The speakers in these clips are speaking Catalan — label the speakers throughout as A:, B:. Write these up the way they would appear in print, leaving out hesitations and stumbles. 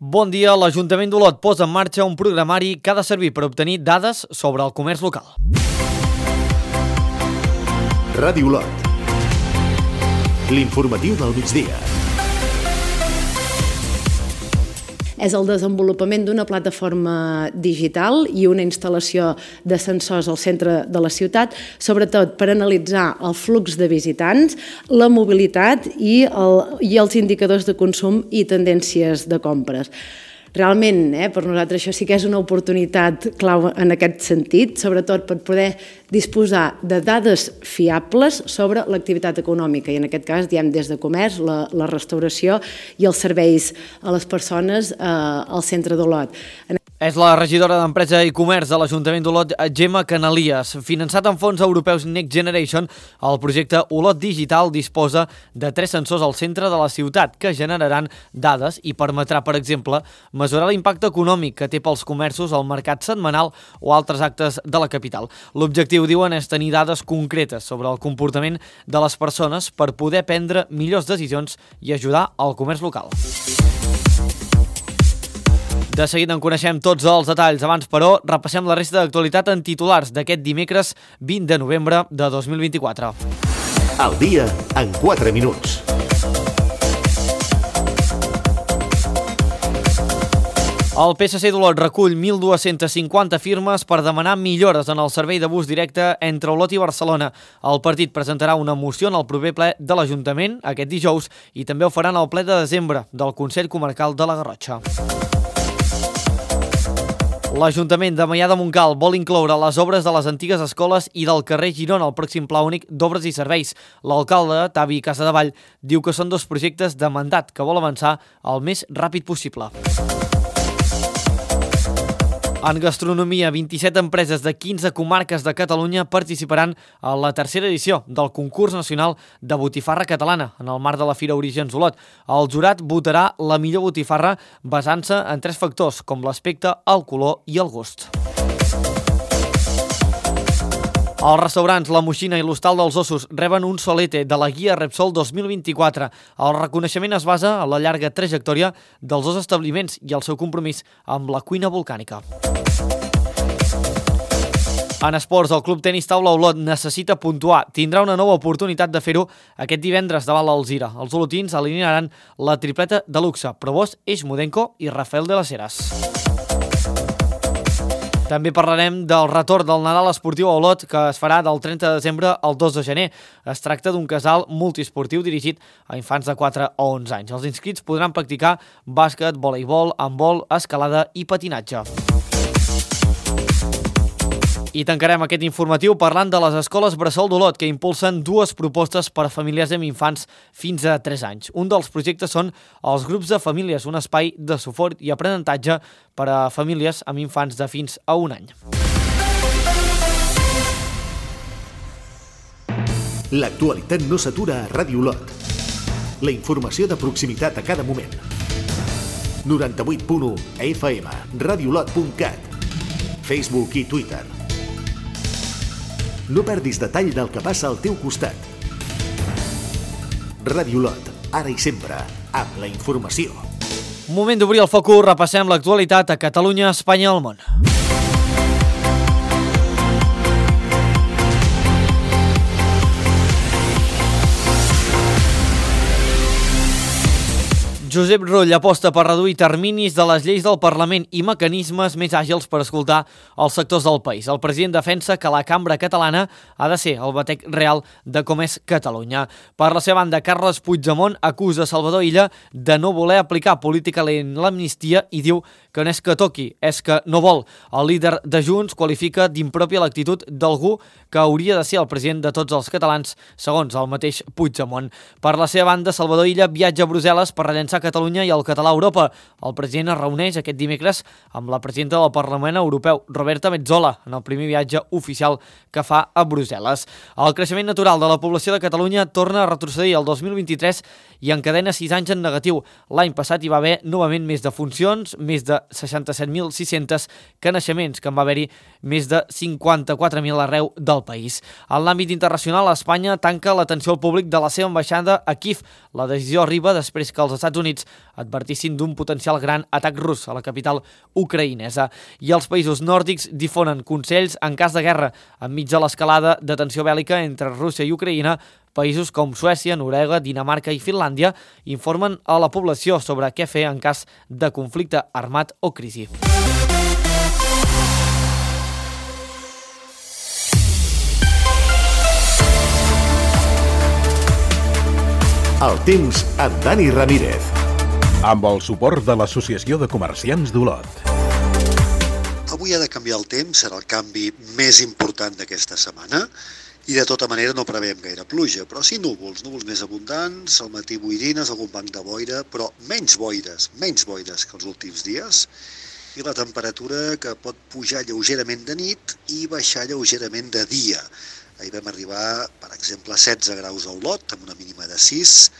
A: Bon dia, l'Ajuntament d'Olot posa en marxa un programari que ha de servir per obtenir dades sobre el comerç local.
B: Ràdio Olot. L'informatiu del migdia.
C: És el desenvolupament d'una plataforma digital i una instal·lació de sensors al centre de la ciutat, sobretot per analitzar el flux de visitants, la mobilitat i els indicadors de consum i tendències de compres. Realment, per nosaltres això sí que és una oportunitat clau en aquest sentit, sobretot per poder disposar de dades fiables sobre l'activitat econòmica i en aquest cas diem des de comerç, la restauració i els serveis a les persones al centre d'Olot.
A: És la regidora d'Empresa i Comerç de l'Ajuntament d'Olot, Gemma Canalies. Finançat amb fons europeus Next Generation, el projecte Olot Digital disposa de 3 sensors al centre de la ciutat que generaran dades i permetrà, per exemple, mesurar l'impacte econòmic que té pels comerços el mercat setmanal o altres actes de la capital. L'objectiu, diuen, és tenir dades concretes sobre el comportament de les persones per poder prendre millors decisions i ajudar al comerç local. De seguida en coneixem tots els detalls. Abans, però, repassem la resta d'actualitat en titulars d'aquest dimecres 20 de novembre de 2024.
B: Al dia en 4 minuts.
A: El PSC d'Olot recull 1.250 firmes per demanar millores en el servei de bus directe entre Olot i Barcelona. El partit presentarà una moció en el proper ple de l'Ajuntament aquest dijous i també ho faran al ple de desembre del Consell Comarcal de la Garrotxa. L'Ajuntament de Maià de Montcal vol incloure les obres de les antigues escoles i del carrer Girona al pròxim Pla Únic d'Obres i Serveis. L'alcalde, Tavi Casadevall, diu que són 2 projectes de mandat que vol avançar el més ràpid possible. En gastronomia, 27 empreses de 15 comarques de Catalunya participaran a la 3a edició del concurs nacional de botifarra catalana en el marc de la Fira Orígens Olot. El jurat votarà la millor botifarra basant-se en 3 factors, com l'aspecte, el color i el gust. Els restaurants La Moixina i l'Hostal dels Ossos reben un solete de la Guia Repsol 2024. El reconeixement es basa en la llarga trajectòria dels 2 establiments i el seu compromís amb la cuina volcànica. En esports, el Club Tenis Taula Olot necessita puntuar. Tindrà una nova oportunitat de fer-ho aquest divendres davant l'Alzira. Els olotins alinearan la tripleta de luxe: Provost, Eix Mudenko i Rafael de las Heras. També parlarem del retorn del Nadal esportiu a Olot, que es farà del 30 de desembre al 2 de gener. Es tracta d'un casal multiesportiu dirigit a infants de 4 o 11 anys. Els inscrits podran practicar bàsquet, voleibol, handbol, escalada i patinatge. I tancarem aquest informatiu parlant de les escoles Bressol d'Olot, que impulsen 2 propostes per a famílies amb infants fins a 3 anys. Un dels projectes són els grups de famílies, un espai de suport i aprenentatge per a famílies amb infants de fins a 1 any.
B: L'actualitat no s'atura a Ràdio Olot. La informació de proximitat a cada moment. 98.1 FM, radiolot.cat, Facebook i Twitter. No perdis detall del que passa al teu costat. Ràdio Olot, ara i sempre, amb la informació.
A: Moment d'obrir el focus, repassem l'actualitat a Catalunya, Espanya i el món. Josep Rull aposta per reduir terminis de les lleis del Parlament i mecanismes més àgils per escoltar els sectors del país. El president defensa que la cambra catalana ha de ser el batec real de com és Catalunya. Per la seva banda, Carles Puigdemont acusa Salvador Illa de no voler aplicar políticament l'amnistia i diu que no és que toqui, és que no vol. El líder de Junts qualifica d'impròpia l'actitud d'algú que hauria de ser el president de tots els catalans, segons el mateix Puigdemont. Per la seva banda, Salvador Illa viatja a Brussel·les per rellençar Catalunya i el català a Europa. El president es reuneix aquest dimecres amb la presidenta del Parlament Europeu, Roberta Metsola, en el primer viatge oficial que fa a Brussel·les. El creixement natural de la població de Catalunya torna a retrocedir el 2023 i encadena 6 anys en negatiu. L'any passat hi va haver novament més defuncions, més de 67.600 que naixements, que en va haver-hi més de 54.000 arreu del país. En l'àmbit internacional, Espanya tanca l'atenció al públic de la seva ambaixada a Kíev. La decisió arriba després que els Estats Units Units advertissin d'un potencial gran atac rus a la capital ucraïnesa. I els països nòrdics difonen consells en cas de guerra enmig de l'escalada de tensió bèl·lica entre Rússia i Ucraïna. Països com Suècia, Noruega, Dinamarca i Finlàndia informen a la població sobre què fer en cas de conflicte armat o crisi.
B: El temps amb Dani Ramírez.
D: Amb el suport de l'Associació de Comerciants d'Olot.
E: Avui ha de canviar el temps, serà el canvi més important d'aquesta setmana i de tota manera no preveiem gaire pluja, però sí núvols més abundants, al matí boirines, algun banc de boira, però menys boires que els últims dies, i la temperatura que pot pujar lleugerament de nit i baixar lleugerament de dia. Ahir vam arribar, per exemple, a 16 graus a Olot, amb una mínima de 6,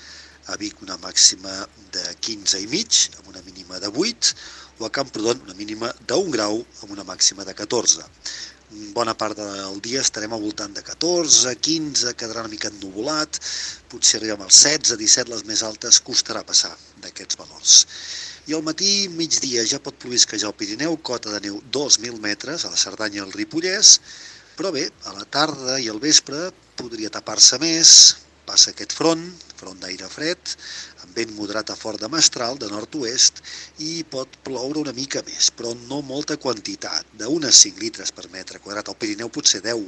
E: a Vic una màxima de 15,5, amb una mínima de 8, o a Camprodon una mínima d'1 grau, amb una màxima de 14. Bona part del dia estarem al voltant de 14, 15, quedarà una mica ennuvolat, potser arribem als 16, 17, les més altes costarà passar d'aquests valors. I al matí, migdia, ja pot plovisquejar al Pirineu, cota de neu 2.000 metres, a la Cerdanya i al Ripollès, però bé, a la tarda i al vespre podria tapar-se més, passa aquest front d'aire fred, amb vent moderat a fort de mestral, de nord-oest, i pot ploure una mica més, però no molta quantitat, d'unes 5 litres per metre quadrat, al Pirineu potser 10,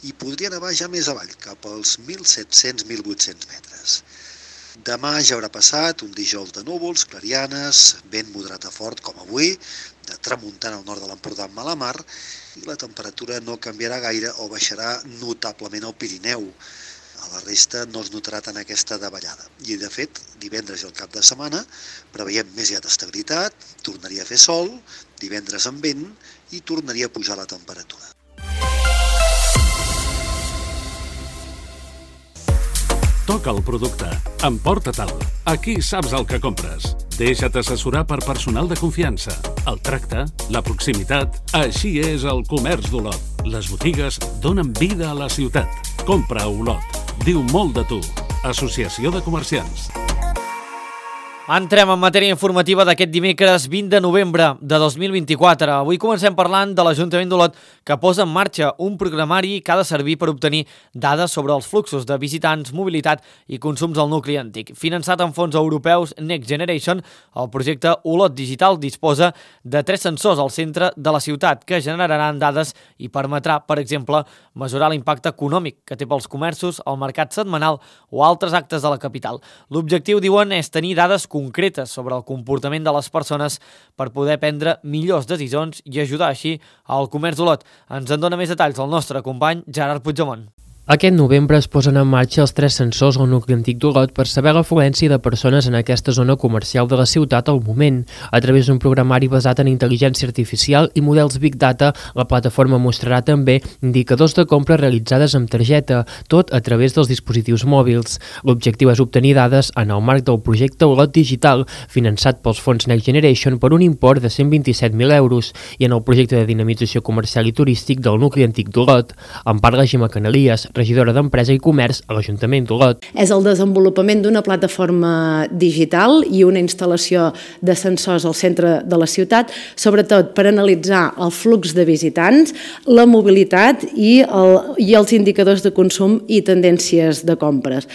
E: i podria nevar ja més avall, cap als 1.700-1.800 metres. Demà ja haurà passat un dijous de núvols, clarianes, vent moderat a fort com avui, de tramuntana al nord de l'Empordà amb mala mar, i la temperatura no canviarà gaire o baixarà notablement al Pirineu. A la resta no es notarà tant aquesta davallada. I de fet, divendres i el cap de setmana preveiem més ja d'estabilitat, tornaria a fer sol, divendres amb vent i tornaria a pujar la temperatura.
F: Toca el producte. Emporta-te'l. Aquí saps el que compres. Deixa't assessorar per personal de confiança. El tracte, la proximitat... Així és el comerç d'Olot. Les botigues donen vida a la ciutat. Compra a Olot. Diu molt de tu. Associació de Comerciants.
A: Entrem en matèria informativa d'aquest dimecres 20 de novembre de 2024. Avui comencem parlant de l'Ajuntament d'Olot, que posa en marxa un programari que ha de servir per obtenir dades sobre els fluxos de visitants, mobilitat i consums del nucli antic. Finançat amb fons europeus Next Generation, el projecte Olot Digital disposa de 3 sensors al centre de la ciutat que generaran dades i permetrà, per exemple, mesurar l'impacte econòmic que té pels comerços, el mercat setmanal o altres actes de la capital. L'objectiu, diuen, és tenir dades concretes sobre el comportament de les persones per poder prendre millors decisions i ajudar així al comerç d'Olot. Ens en dona més detalls el nostre company Gerard Puigdemont.
G: Aquest novembre es posen en marxa els 3 sensors al nucli antic d'Olot per saber l'afluència de persones en aquesta zona comercial de la ciutat al moment. A través d'un programari basat en intel·ligència artificial i models Big Data, la plataforma mostrarà també indicadors de compra realitzades amb targeta, tot a través dels dispositius mòbils. L'objectiu és obtenir dades en el marc del projecte Olot Digital, finançat pels fons Next Generation per un import de 127.000 euros, i en el projecte de dinamització comercial i turístic del nucli antic d'Olot. En parla Gemma Canalies, regidora d'Empresa i Comerç a l'Ajuntament d'Olot.
C: És el desenvolupament d'una plataforma digital i una instal·lació de sensors al centre de la ciutat, sobretot per analitzar el flux de visitants, la mobilitat i els indicadors de consum i tendències de compres.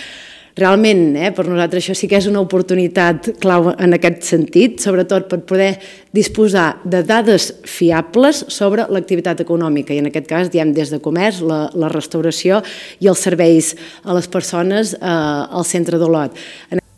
C: Realment, per nosaltres això sí que és una oportunitat clau en aquest sentit, sobretot per poder disposar de dades fiables sobre l'activitat econòmica, i en aquest cas diem des de comerç, la restauració i els serveis a les persones al centre d'Olot.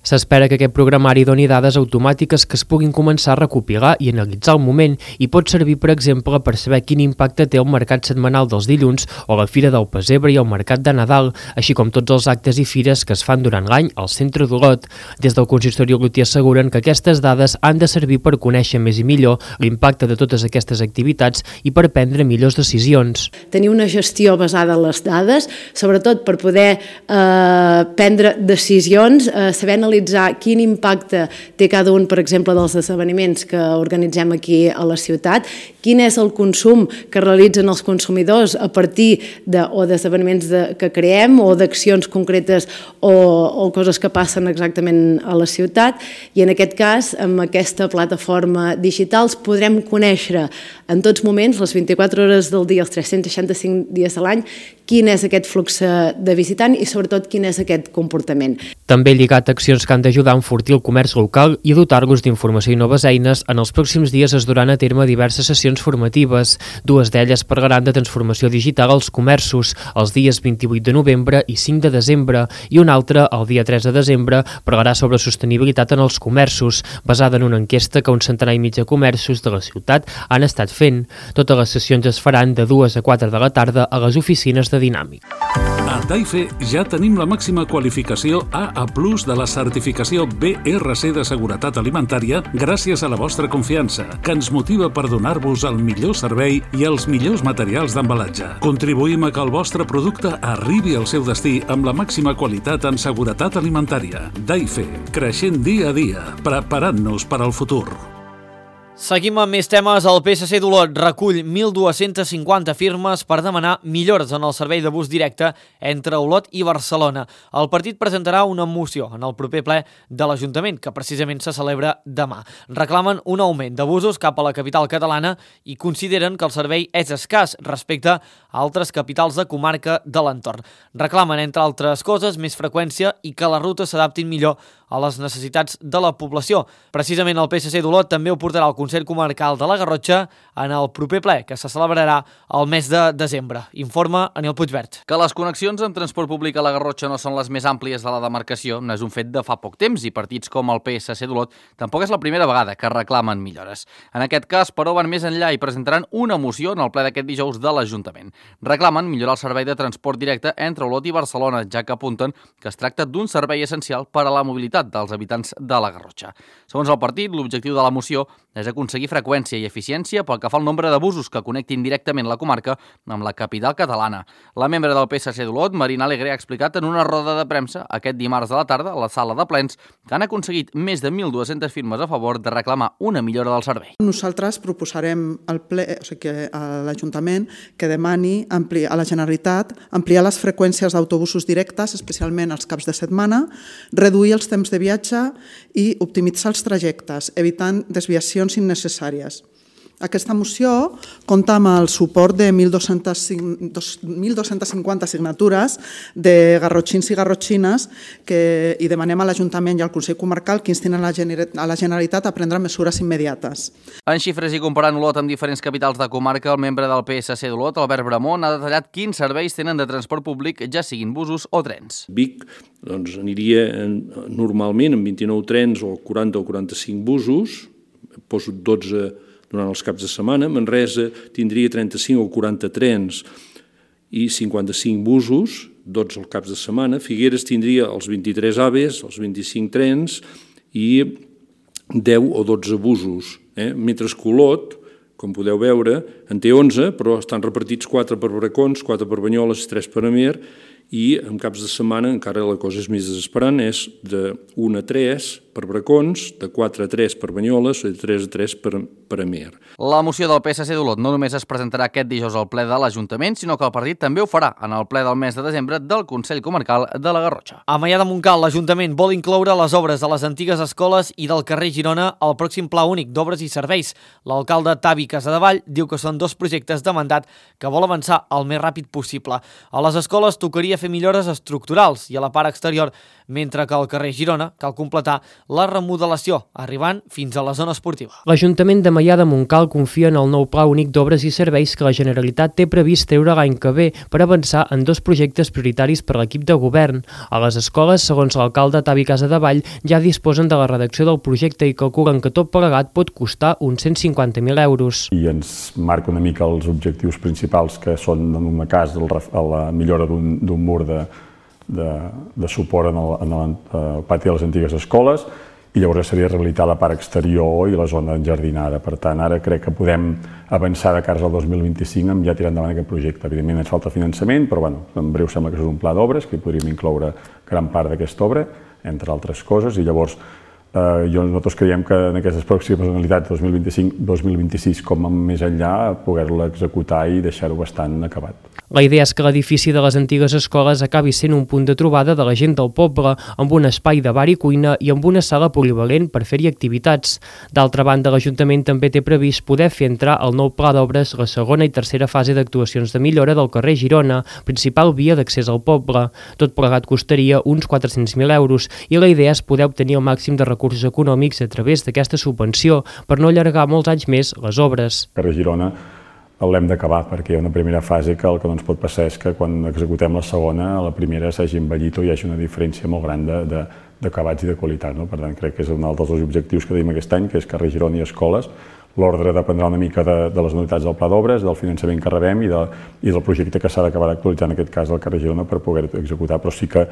G: S'espera que aquest programari doni dades automàtiques que es puguin començar a recopilar i analitzar al moment i pot servir, per exemple, per saber quin impacte té el mercat setmanal dels dilluns o la Fira del Pessebre i el Mercat de Nadal, així com tots els actes i fires que es fan durant l'any al centre d'Olot. Des del consistori olotí asseguren que aquestes dades han de servir per conèixer més i millor l'impacte de totes aquestes activitats i per prendre millors decisions.
C: Tenir una gestió basada en les dades, sobretot per poder prendre decisions, saber analitzar analitzar quin impacte té cada un, per exemple, dels esdeveniments que organitzem aquí a la ciutat, quin és el consum que realitzen els consumidors a partir d'esdeveniments que creem o d'accions concretes o coses que passen exactament a la ciutat, i en aquest cas, amb aquesta plataforma digital, podrem conèixer en tots moments, les 24 hores del dia, els 365 dies de l'any, quin és aquest flux de visitant i sobretot quin és aquest comportament.
G: També lligat a accions que han d'ajudar a enfortir el comerç local i dotar-los d'informació i noves eines, en els pròxims dies es duran a terme diverses sessions formatives. Dues d'elles parlaran de transformació digital als comerços, els dies 28 de novembre i 5 de desembre, i una altra, el dia 3 de desembre, parlarà sobre sostenibilitat en els comerços, basada en una enquesta que un centenar i mig de comerços de la ciutat han estat fent. Totes les sessions es faran de 2 a 4 de la tarda a les oficines de Dinàmic.
F: A Daife ja tenim la màxima qualificació AA+ de la certificació BRC de seguretat alimentària gràcies a la vostra confiança, que ens motiva per donar-vos el millor servei i els millors materials d'embalatge. Contribuïm a que el vostre producte arribi al seu destí amb la màxima qualitat en seguretat alimentària. Daife, creixent dia a dia, preparant-nos per al futur.
A: Seguim amb més temes. El PSC d'Olot recull 1.250 firmes per demanar millores en el servei de bus directe entre Olot i Barcelona. El partit presentarà una moció en el proper ple de l'Ajuntament, que precisament se celebra demà. Reclamen un augment de busos cap a la capital catalana i consideren que el servei és escàs respecte a altres capitals de comarca de l'entorn. Reclamen, entre altres coses, més freqüència i que les rutes s'adaptin millor a les necessitats de la població. Precisament el PSC d'Olot també ho portarà al Consell Comarcal de la Garrotxa en el proper ple, que se celebrarà el mes de desembre. Informa Anil Puigvert.
H: Que les connexions amb transport públic a la Garrotxa no són les més àmplies de la demarcació no és un fet de fa poc temps i partits com el PSC d'Olot tampoc és la primera vegada que reclamen millores. En aquest cas, però, van més enllà i presentaran una moció en el ple d'aquest dijous de l'Ajuntament. Reclamen millorar el servei de transport directe entre Olot i Barcelona, ja que apunten que es tracta d'un servei essencial per a la mobilitat dels habitants de la Garrotxa. Segons el partit, l'objectiu de la moció és aconseguir freqüència i eficiència pel que fa al nombre de busos que connectin directament la comarca amb la capital catalana. La membre del PSC d'Olot, Marina Alegre, ha explicat en una roda de premsa aquest dimarts a la tarda a la sala de plens que han aconseguit més de 1.200 firmes a favor de reclamar una millora del servei.
I: Nosaltres proposarem al ple, a l'Ajuntament, que demani a la Generalitat ampliar les freqüències d'autobusos directes, especialment els caps de setmana, reduir els temps de viatge i optimitzar els trajectes, evitant desviacions innecessàries. Aquesta moció compta amb el suport de 1.250 signatures de garrotxins i garrotxines i demanem a l'Ajuntament i al Consell Comarcal que instin a la Generalitat a prendre mesures immediates.
H: En xifres i comparant Olot amb diferents capitals de comarca, el membre del PSC d'Olot, Albert Bramont, ha detallat quins serveis tenen de transport públic, ja siguin busos o trens.
J: Vic aniria normalment amb 29 trens o 40 o 45 busos, poso 12 durant els caps de setmana. Manresa tindria 35 o 40 trens i 55 busos, 12 als caps de setmana. Figueres tindria els 23 AVEs, els 25 trens i 10 o 12 busos. Mentre que Olot, com podeu veure, en té 11, però estan repartits 4 per Bracons, 4 per Banyoles, 3 per Amer, i en caps de setmana encara la cosa és més desesperant, és de 1 a 3 per Bracons, de 4 a 3 per Banyoles, de 3 a 3 per Amer.
H: La moció del PSC d'Olot no només es presentarà aquest dijous al ple de l'Ajuntament, sinó que el partit també ho farà en el ple del mes de desembre del Consell Comarcal de la Garrotxa.
A: A Maià de Montcal, l'Ajuntament vol incloure les obres de les antigues escoles i del carrer Girona al pròxim Pla Únic d'Obres i Serveis. L'alcalde Tavi Casadevall diu que són 2 projectes de mandat que vol avançar el més ràpid possible. A les escoles tocaria fer millores estructurals i a la part exterior, mentre que al carrer Girona cal completar la remodelació, arribant fins a la zona esportiva.
G: L'Ajuntament de Maià de Montcal confia en el nou Pla Únic d'Obres i Serveis que la Generalitat té previst treure l'any que ve per avançar en 2 projectes prioritaris per a l'equip de govern. A les escoles, segons l'alcalde Tavi Casadevall, ja disposen de la redacció del projecte i calculen que tot plegat pot costar uns 150.000 euros.
K: I ens marca una mica els objectius principals, que són, en un cas, la millora d'un mur de suport en el pati de les antigues escoles i llavors seria rehabilitar la part exterior i la zona enjardinada. Per tant, ara crec que podem avançar de cara al 2025 amb ja tirar endavant aquest projecte. Evidentment ens falta finançament, però en breu sembla que és un pla d'obres, que hi podríem incloure gran part d'aquesta obra, entre altres coses, i llavors nosaltres creiem que en aquestes pròximes anualitats 2025-2026 com més enllà poder-la executar i deixar-ho bastant acabat.
G: La idea és que l'edifici de les antigues escoles acabi sent un punt de trobada de la gent del poble, amb un espai de bar i cuina i amb una sala polivalent per fer-hi activitats. D'altra banda, l'Ajuntament també té previst poder fer entrar al nou pla d'obres la segona i tercera fase d'actuacions de millora del carrer Girona, principal via d'accés al poble. Tot plegat costaria uns 400.000 euros i la idea és poder obtenir el màxim de recursos econòmics a través d'aquesta subvenció per no allargar molts anys més les obres.
K: El carrer Girona l'hem d'acabar perquè hi ha una primera fase que el que no ens pot passar és que quan executem la segona, la primera s'hagi envellit o hi hagi una diferència molt gran d'acabats i de qualitat. Per tant, crec que és un dels objectius que tenim aquest any, que és carrer Girona i escoles. L'ordre dependrà una mica de les unitats del pla d'obres, del finançament que rebem i del projecte que s'ha d'acabar d'actualitzar, en aquest cas del carrer Girona, per poder-ho executar, però sí que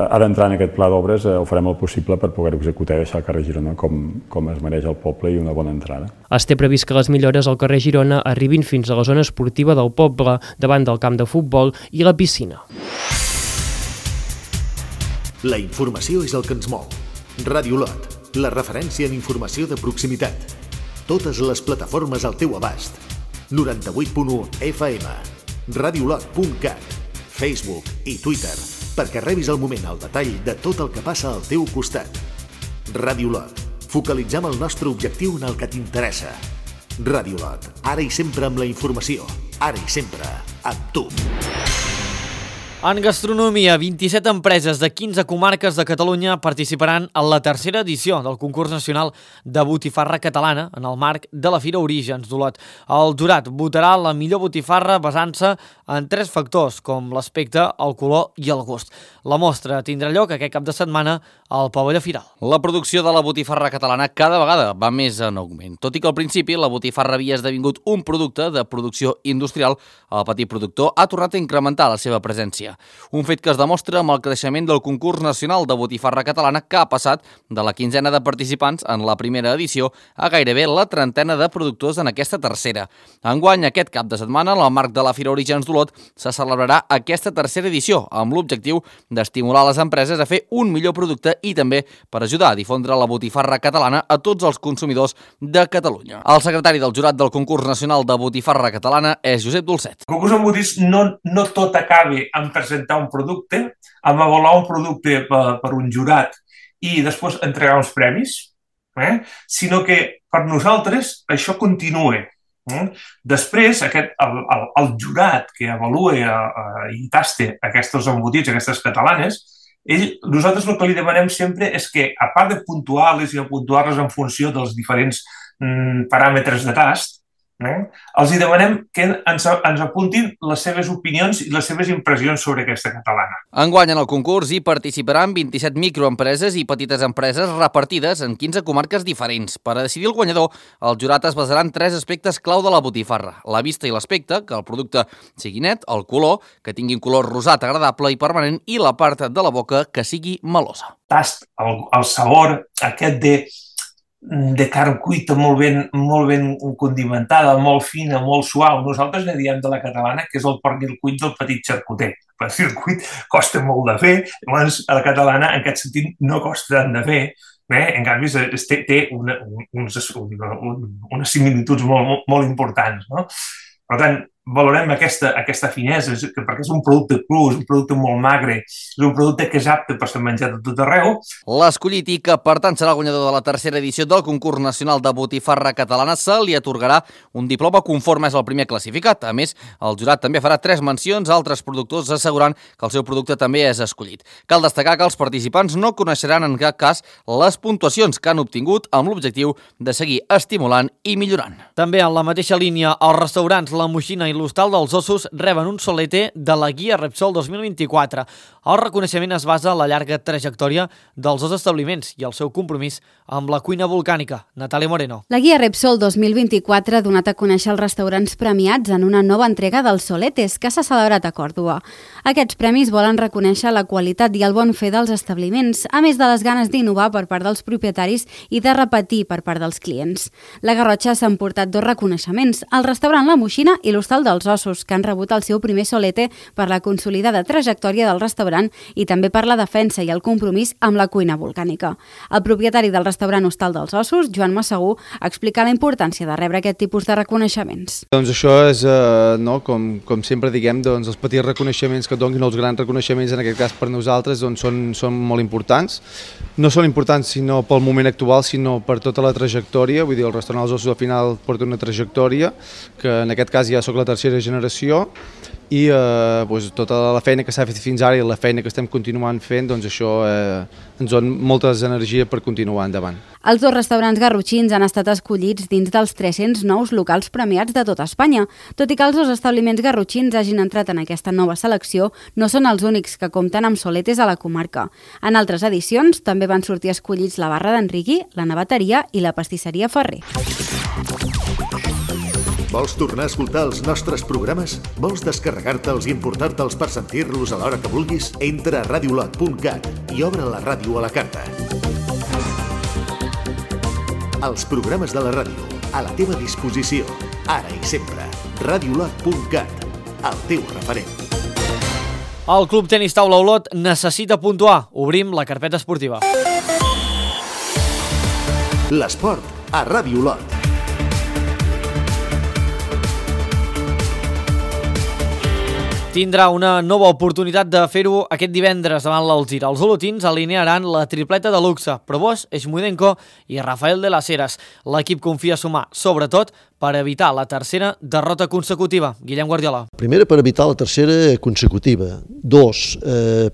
K: ha d'entrar en aquest pla d'obres, ho farem el possible per poder-ho executar i deixar el carrer Girona com es mereix el poble i una bona entrada.
G: Es té previst que les millores al carrer Girona arribin fins a la zona esportiva del poble, davant del camp de futbol i la piscina.
B: La informació és el que ens mou. Ràdio Lot, la referència en informació de proximitat. Totes les plataformes al teu abast. 98.1 FM, radiolot.cat, Facebook i Twitter, perquè rebis al moment el detall de tot el que passa al teu costat. Ràdio Lot. Focalitzem el nostre objectiu en el que t'interessa. Ràdio Lot. Ara i sempre amb la informació. Ara i sempre amb tu.
A: En gastronomia, 27 empreses de 15 comarques de Catalunya participaran en la tercera edició del concurs nacional de botifarra catalana en el marc de la Fira Orígens d'Olot. El jurat votarà la millor botifarra basant-se en 3 factors, com l'aspecte, el color i el gust. La mostra tindrà lloc aquest cap de setmana al pavelló Firal.
H: La producció de la botifarra catalana cada vegada va més en augment. Tot i que al principi la botifarra havia esdevingut un producte de producció industrial, el petit productor ha tornat a incrementar la seva presència. Un fet que es demostra amb el creixement del concurs nacional de botifarra catalana, que ha passat de la 15ena de participants en la primera edició a gairebé la 30ena de productors en aquesta tercera. Enguany, aquest cap de setmana, en el marc de la Fira Orígens d'Olot, se celebrarà aquesta tercera edició amb l'objectiu d'estimular les empreses a fer un millor producte i també per ajudar a difondre la botifarra catalana a tots els consumidors de Catalunya. El secretari del jurat del concurs nacional de botifarra catalana és Josep Dolcet.
L: El concurs embotits no tot acaba en presentar un producte, amb avaluar un producte per un jurat i després entregar uns premis, sinó que per nosaltres això continua. Després, el jurat que avalua i tasta aquests embotits, aquestes catalanes, nosaltres el que li demanem sempre és que, a part de puntuar-les i puntuar-les en funció dels diferents paràmetres de tast, els demanem que ens apuntin les seves opinions i les seves impressions sobre aquesta catalana.
H: Enguany en el concurs hi participaran 27 microempreses i petites empreses repartides en 15 comarques diferents. Per a decidir el guanyador, el jurat es basarà en 3 aspectes clau de la botifarra: la vista i l'aspecte, que el producte sigui net, el color, que tingui un color rosat agradable i permanent, i la part de la boca, que sigui melosa.
L: Tast, el sabor aquest de carn cuita molt ben condimentada, molt fina, molt suau. Nosaltres ne diem de la catalana que és el pernil cuit del petit xarcuter. El pernil cuit costa molt de fer, llavors a la catalana en aquest sentit no costa tant de fer, en canvi té unes similituds molt importants. Per tant, valorem aquesta finesa, perquè és un producte cru, és un producte molt magre, és un producte que és apte per ser menjat de tot arreu.
H: L'escollit i que, per tant, serà el guanyador de la tercera edició del concurs nacional de botifarra catalana, se li atorgarà un diploma conforme és el primer classificat. A més, el jurat també farà 3 mencions a altres productors, assegurant que el seu producte també és escollit. Cal destacar que els participants no coneixeran en cap cas les puntuacions que han obtingut amb l'objectiu de seguir estimulant i millorant.
A: També en la mateixa línia, els restaurants La Moixina i l'Hostal dels Ossos reben un solete de la Guia Repsol 2024. El reconeixement es basa en la llarga trajectòria dels dos establiments i el seu compromís amb la cuina volcànica. Natàlia Moreno.
M: La Guia Repsol 2024 ha donat a conèixer els restaurants premiats en una nova entrega dels soletes que s'ha celebrat a Còrdova. Aquests premis volen reconèixer la qualitat i el bon fer dels establiments, a més de les ganes d'innovar per part dels propietaris i de repetir per part dels clients. La Garrotxa s'ha emportat 2 reconeixements, el restaurant La Moixina i l'Hostal dels Ossos, que han rebut el seu primer solete per la consolidada trajectòria del restaurant i també per la defensa i el compromís amb la cuina volcànica. El propietari del restaurant Hostal dels Ossos, Joan Massagú, explica la importància de rebre aquest tipus de reconeixements.
N: Doncs això és, com sempre diguem, els petits reconeixements que et donin, els grans reconeixements, en aquest cas per nosaltres, són molt importants. No són importants sinó pel moment actual, sinó per tota la trajectòria. Vull dir, el restaurant dels Ossos al final porta una trajectòria, que en aquest cas ja soc la tercera generació, i tota la feina que s'ha fet fins ara i la feina que estem continuant fent, doncs això ens dona moltes energies per continuar endavant.
M: Els 2 restaurants garrotxins han estat escollits dins dels 300 nous locals premiats de tota Espanya. Tot i que els 2 establiments garrotxins hagin entrat en aquesta nova selecció, no són els únics que compten amb soletes a la comarca. En altres edicions també van sortir escollits la Barra d'Enriqui, la Naveteria i la Pastisseria Ferrer.
B: Vols tornar a escoltar els nostres programes? Vols descarregar-te'ls i emportar-te'ls per sentir-los a l'hora que vulguis? Entra a radiolot.cat i obre la ràdio a la carta. Els programes de la ràdio, a la teva disposició, ara i sempre. Radiolot.cat, el teu referent.
A: El Club Tenis Taula Olot necessita puntuar. Obrim la carpeta esportiva.
B: L'esport a Ràdio Olot.
A: Tindrà una nova oportunitat de fer-ho aquest divendres davant l'Alzira. Els olotins alinearan la tripleta de luxe, Probost, Eixmudenko i Rafael de las Heras. L'equip confia sumar, sobretot, per evitar la tercera derrota consecutiva. Guillem Guardiola.
O: Primera, per evitar la tercera consecutiva. 2,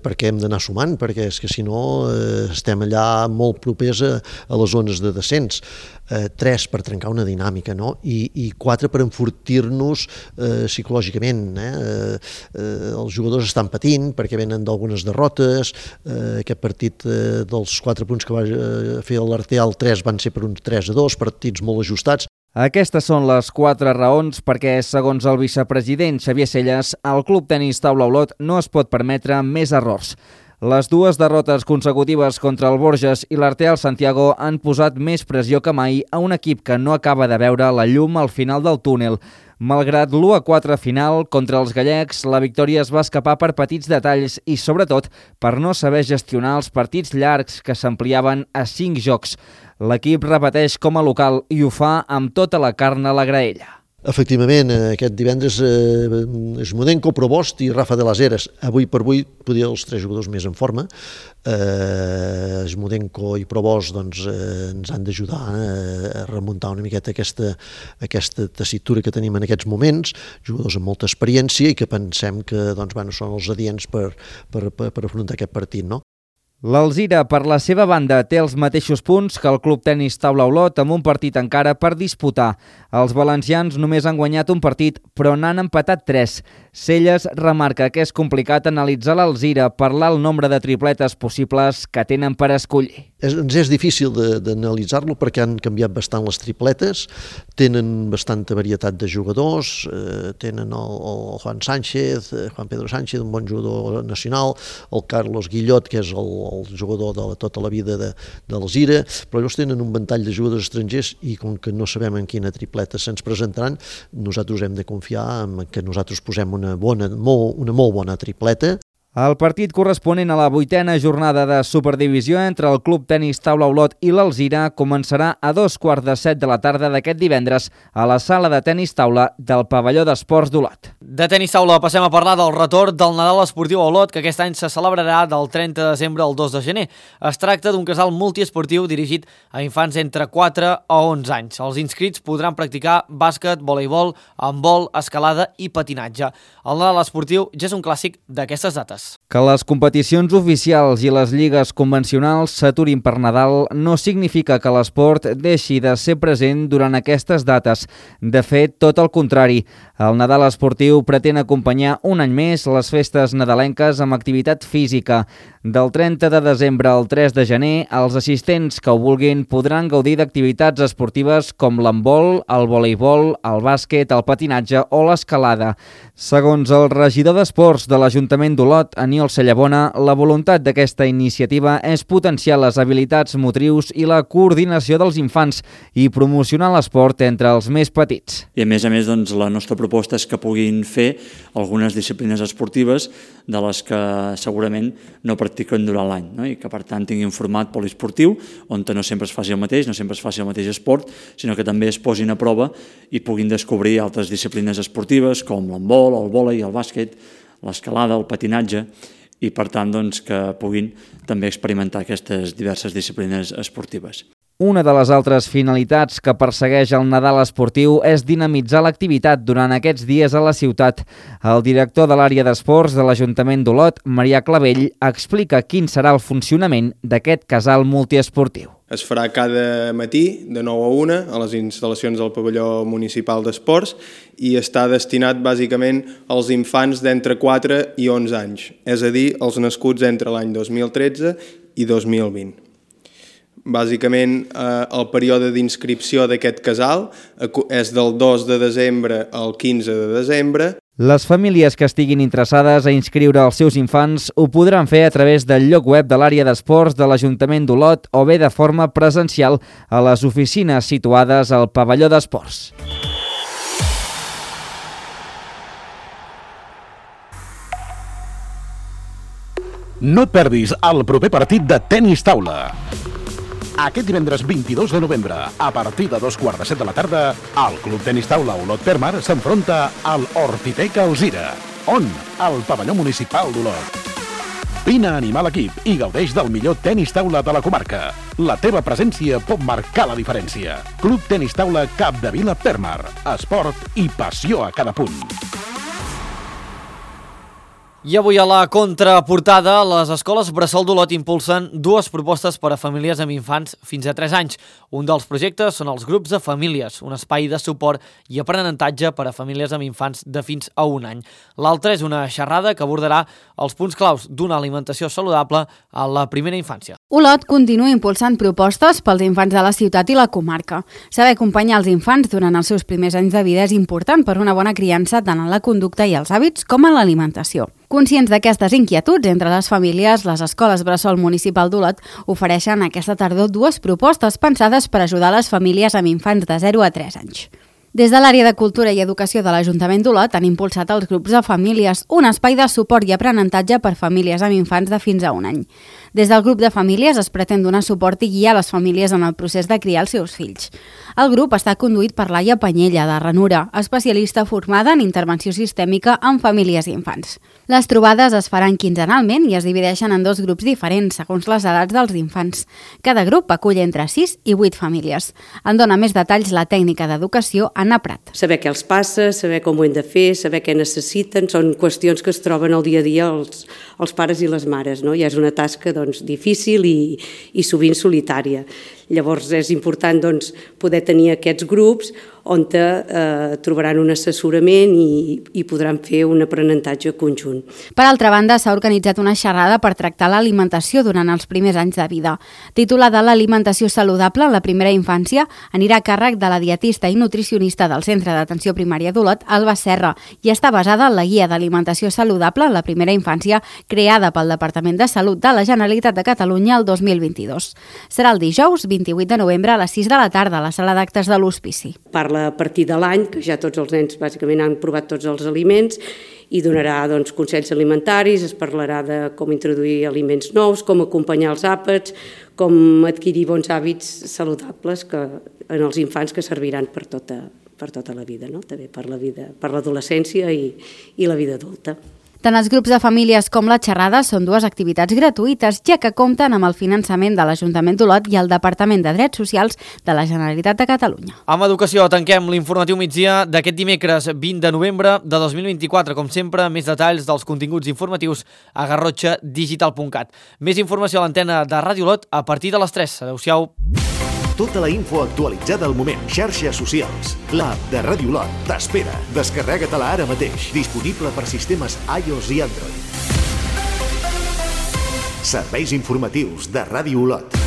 O: perquè hem d'anar sumant, perquè és que si no estem allà molt propers a les zones de descens. 3, per trencar una dinàmica, no? I 4, per enfortir-nos psicològicament. Els jugadors estan patint perquè venen d'algunes derrotes. Aquest partit dels 4 punts que va fer l'Arteal, 3 van ser per uns 3-2, partits molt ajustats.
P: Aquestes són les 4 raons perquè, segons el vicepresident Xavier Selles, el Club Tenis Taula Olot no es pot permetre més errors. Les 2 derrotes consecutives contra el Borges i l'Arteal Santiago han posat més pressió que mai a un equip que no acaba de veure la llum al final del túnel. Malgrat l'1-4 final contra els gallecs, la victòria es va escapar per petits detalls i, sobretot, per no saber gestionar els partits llargs que s'ampliaven a 5 jocs. L'equip repeteix com a local i ho fa amb tota la carn a la graella.
O: Efectivament, aquest divendres Eixmudenko, Probost i Rafa de las Heras. Avui per avui podria els 3 jugadors més en forma. Eixmudenko i Probost ens han d'ajudar a remuntar una miqueta aquesta tessitura que tenim en aquests moments, jugadors amb molta experiència i que pensem que són els adients per afrontar aquest partit, no?
P: L'Alzira, per la seva banda, té els mateixos punts que el Club Tenis Taula Olot amb un partit encara per disputar. Els valencians només han guanyat un partit, però n'han empatat 3. Selles remarca que és complicat analitzar l'Alzira per l'alt nombre de tripletes possibles que tenen per escollir.
O: Ens és difícil d'analitzar-lo perquè han canviat bastant les tripletes, tenen bastanta varietat de jugadors, tenen el Juan Sánchez, Juan Pedro Sánchez, un bon jugador nacional, el Carlos Guillot, que és el jugador de tota la vida de l'Alzira, però llavors tenen un ventall de jugadors estrangers i com que no sabem en quina tripleta se'ns presentaran, nosaltres hem de confiar en que nosaltres posem una molt bona tripleta.
P: El partit corresponent a la 8a jornada de Superdivisió entre el Club Tenis Taula Olot i l'Alzira començarà a 2:15 de la tarda d'aquest divendres a la sala de tenis taula del Pavelló d'Esports d'Olot.
A: De tenis taula passem a parlar del retorn del Nadal Esportiu a Olot, que aquest any se celebrarà del 30 de desembre al 2 de gener. Es tracta d'un casal multiesportiu dirigit a infants entre 4 a 11 anys. Els inscrits podran practicar bàsquet, voleibol, handbol, escalada i patinatge. El Nadal Esportiu ja és un clàssic d'aquestes dates. esportives.
P: Que les competicions oficials i les lligues convencionals s'aturin per Nadal no significa que l'esport deixi de ser present durant aquestes dates. De fet, tot el contrari. El Nadal esportiu pretén acompanyar un any més les festes nadalenques amb activitat física. Del 30 de desembre al 3 de gener, els assistents que ho vulguin podran gaudir d'activitats esportives com l'handbol, el voleibol, el bàsquet, el patinatge o l'escalada. Segons el regidor d'Esports de l'Ajuntament d'Olot, Aniol Cellabona, la voluntat d'aquesta iniciativa és potenciar les habilitats motrius i la coordinació dels infants i promocionar l'esport entre els més petits.
Q: I a més, doncs, la nostra proposta és que puguin fer algunes disciplines esportives de les que segurament no practiquen durant l'any, no? I que per tant tinguin format poliesportiu on no sempre es faci el mateix, no sempre es faci el mateix esport, sinó que també es posin a prova i puguin descobrir altres disciplines esportives com l'handbol, el vòlei, el bàsquet, l'escalada, el patinatge, i per tant doncs, que puguin també experimentar aquestes diverses disciplines esportives.
P: Una de les altres finalitats que persegueix el Nadal esportiu és dinamitzar l'activitat durant aquests dies a la ciutat. El director de l'àrea d'esports de l'Ajuntament d'Olot, Marià Clavell, explica quin serà el funcionament d'aquest casal multiesportiu.
R: Es farà cada matí de 9 a 1 a les instal·lacions del pavelló municipal d'esports i està destinat bàsicament als infants d'entre 4 i 11 anys, és a dir, els nascuts entre l'any 2013 i 2020. Bàsicament, el període d'inscripció d'aquest casal és del 2 de desembre al 15 de desembre.
P: Les famílies que estiguin interessades a inscriure els seus infants ho podran fer a través del lloc web de l'àrea d'esports de l'Ajuntament d'Olot o bé de forma presencial a les oficines situades al pavelló d'esports.
D: No et perdis el proper partit de tenis taula. Aquest divendres 22 de novembre, a partir de 2:15 de la tarda, el Club Tenis Taula Olot Permar s'enfronta al Hortitec Alzira. On? Al pavelló municipal d'Olot. Vine a animar l'equip i gaudeix del millor tenis taula de la comarca. La teva presència pot marcar la diferència. Club Tenis Taula Capdevila Permar. Esport i passió a cada punt.
A: I avui a la contraportada, les escoles Bressol d'Olot impulsen dues propostes per a famílies amb infants fins a 3 anys. Un dels projectes són els grups de famílies, un espai de suport i aprenentatge per a famílies amb infants de fins a 1 any. L'altre és una xerrada que abordarà els punts claus d'una alimentació saludable a la primera infància.
M: Olot continua impulsant propostes pels infants de la ciutat i la comarca. Saber acompanyar els infants durant els seus primers anys de vida és important per una bona criança tant en la conducta i els hàbits com en l'alimentació. Conscients d'aquestes inquietuds entre les famílies, les escoles Bressol Municipal d'Olot ofereixen aquesta tardor dues propostes pensades per ajudar les famílies amb infants de 0 a 3 anys. Des de l'àrea de Cultura i Educació de l'Ajuntament d'Olot han impulsat els grups de famílies, un espai de suport i aprenentatge per famílies amb infants de fins a 1 any. Des del grup de famílies es pretén donar suport i guiar les famílies en el procés de criar els seus fills. El grup està conduït per Laia Panyella, de Ranura, especialista formada en intervenció sistèmica en famílies i infants. Les trobades es faran quinzenalment i es divideixen en 2 grups diferents, segons les edats dels infants. Cada grup acull entre 6 i 8 famílies. En dona més detalls la tècnica d'educació Anna Prat.
S: Saber què els passa, saber com ho hem de fer, saber què necessiten, són qüestions que es troben al dia a dia els pares i les mares, no? Ja és una tasca difícil i sovint solitària. Llavors és important poder tenir aquests grups on trobaran un assessorament i podran fer un aprenentatge conjunt.
M: Per altra banda, s'ha organitzat una xerrada per tractar l'alimentació durant els primers anys de vida. Titulada l'Alimentació saludable en la primera infància, anirà a càrrec de la dietista i nutricionista del Centre d'Atenció Primària d'Olot, Alba Serra, i està basada en la Guia d'Alimentació saludable en la primera infància creada pel Departament de Salut de la Generalitat de Catalunya el 2022. Serà el dijous 28 de novembre a les 6 de la tarda a la sala d'actes de l'Hospici.
S: Parla a partir de l'any, que ja tots els nens bàsicament han provat tots els aliments i donarà consells alimentaris, es parlarà de com introduir aliments nous, com acompanyar els àpats, com adquirir bons hàbits saludables en els infants que serviran per tota la vida, no? També per l'adolescència i la vida adulta.
M: Tant els grups de famílies com la xerrada són dues activitats gratuïtes, ja que compten amb el finançament de l'Ajuntament d'Olot i el Departament de Drets Socials de la Generalitat de Catalunya.
A: Amb educació tanquem l'informatiu migdia d'aquest dimecres 20 de novembre de 2024. Com sempre, més detalls dels continguts informatius a garrotxadigital.cat. Més informació a l'antena de Ràdio Olot a partir de les 3. Adéu-siau.
B: Tota la info actualitzada al moment. Xarxes socials. L'app de Ràdio Olot t'espera. Descarrega-te-la ara mateix. Disponible per sistemes iOS i Android. Serveis informatius de Ràdio Olot.